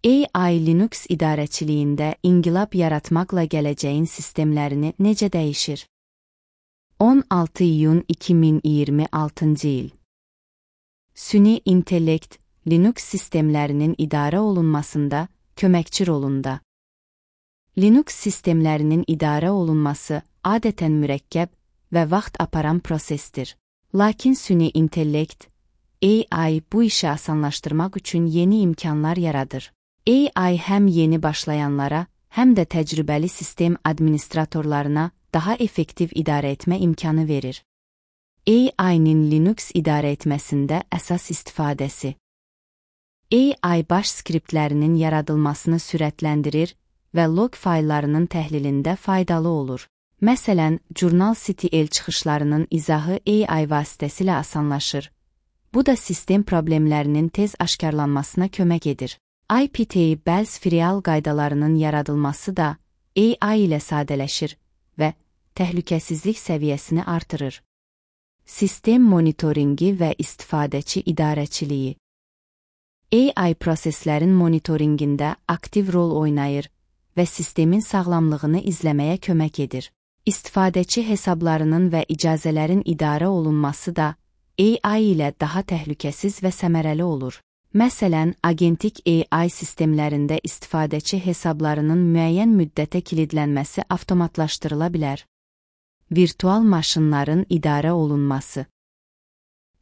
AI Linux idarəçiliyində inqilab yaratmaqla gələcəyin sistemlərini necə dəyişir? 16 iyun 2026-cı il. Süni intellekt Linux sistemlərinin idarə olunmasında köməkçi rolunda. Linux sistemlərinin idarə olunması adətən mürəkkəb və vaxt aparan prosesdir. Lakin süni intellekt, AI bu işi asanlaşdırmaq üçün yeni imkanlar yaradır. AI həm yeni başlayanlara, həm də təcrübəli sistem administratorlarına daha effektiv idarə etmə imkanı verir. AI-nin Linux idarə etməsində əsas istifadəsi. AI baş skriptlərinin yaradılmasını sürətləndirir və log fayllarının təhlilində faydalı olur. Məsələn, Journal.ctl çıxışlarının izahı AI vasitəsilə asanlaşır. Bu da sistem problemlərinin tez aşkarlanmasına kömək edir. IPTable filial qaydalarının yaradılması da AI ilə sadələşir və təhlükəsizlik səviyyəsini artırır. Sistem monitoringi və istifadəçi idarəçiliyi. AI proseslərin monitoringində aktiv rol oynayır və sistemin sağlamlığını izləməyə kömək edir. İstifadəçi hesablarının və icazələrin idarə olunması da AI ilə daha təhlükəsiz və səmərəli olur. Məsələn, agentik AI sistemlərində istifadəçi hesablarının müəyyən müddətə kilidlənməsi avtomatlaşdırıla bilər. Virtual maşınların idarə olunması.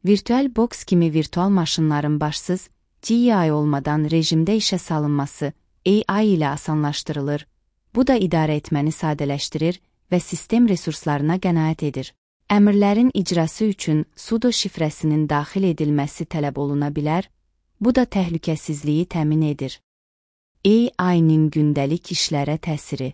VirtualBox kimi virtual maşınların başsız, GUI olmadan rejimdə işə salınması AI ilə asanlaşdırılır. Bu da idarə etməni sadələşdirir və sistem resurslarına qənaət edir. Əmrlərin icrası üçün sudo şifrəsinin daxil edilməsi tələb oluna bilər, bu da təhlükəsizliyi təmin edir. AI-nin gündəlik işlərə təsiri.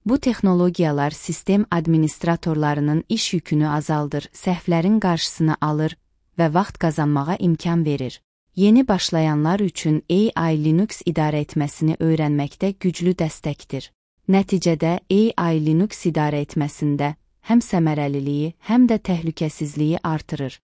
Bu texnologiyalar sistem administratorlarının iş yükünü azaldır, səhvlərin qarşısını alır və vaxt qazanmağa imkan verir. Yeni başlayanlar üçün AI Linux idarə etməsini öyrənməkdə güclü dəstəkdir. Nəticədə AI Linux idarə etməsində həm səmərəliliyi, həm də təhlükəsizliyi artırır.